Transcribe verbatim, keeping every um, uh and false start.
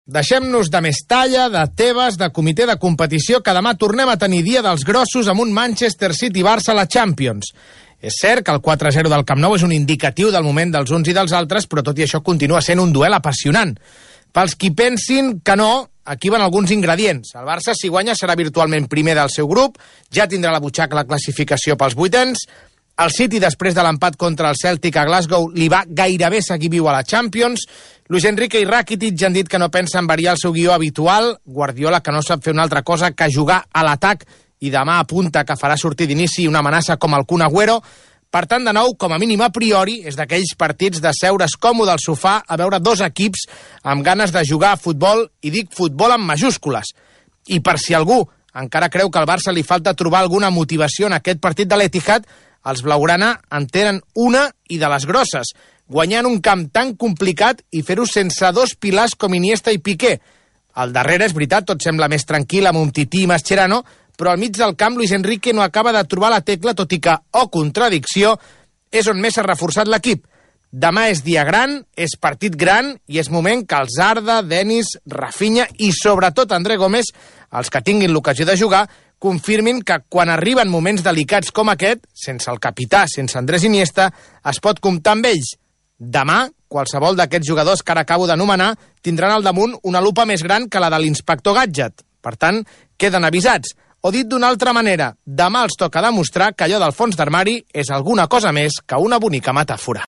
Deixem-nos de Mestalla, de Tebas, de comitè de competició, que demà tornem a tenir dia dels grossos amb un Manchester City-Barça a la Champions. És cert que el quatre a zero del Camp Nou és un indicatiu del moment dels uns i dels altres, però tot i això continua sent un duel apassionant. Pels qui pensin que no, aquí van alguns ingredients. El Barça, si guanya, serà virtualment primer del seu grup, ja tindrà la butxaca la classificació pels vuitens. El City, després de l'empat contra el Celtic a Glasgow, li va gairebé seguir viu a la Champions. Luis Enrique i Rakitic ja han dit que no pensen variar el seu guió habitual. Guardiola, que no sap fer una altra cosa que jugar a l'atac, i demà apunta que farà sortir d'inici una amenaça com el Kun Agüero. Per tant, de nou, com a mínim a priori, és d'aquells partits de seure's còmode al sofà a veure dos equips amb ganes de jugar a futbol, i dic futbol amb majúscules. I per si algú encara creu que al Barça li falta trobar alguna motivació en aquest partit de l'Etihad, els blaugrana en tenen una i de les grosses, guanyant un camp tan complicat i fer-ho sense dos pilars com Iniesta i Piqué. Al darrere, és veritat, tot sembla més tranquil amb Umtiti i Mascherano, però al mig del camp Luis Enrique no acaba de trobar la tecla, tot i que, oh contradicció, és on més s'ha reforçat l'equip. Demà és dia gran, és partit gran, i és moment que els Arda, Denis, Rafinha i sobretot André Gómez, els que tinguin l'ocasió de jugar, confirmin que quan arriben moments delicats com aquest, sense el capità, sense Andrés Iniesta, es pot comptar amb ells. Demà, qualsevol d'aquests jugadors que ara acabo d'anomenar tindran al damunt una lupa més gran que la de l'inspector Gadget. Per tant, queden avisats. O dit d'una altra manera, demà els toca demostrar que allò del fons d'armari és alguna cosa més que una bonica metàfora.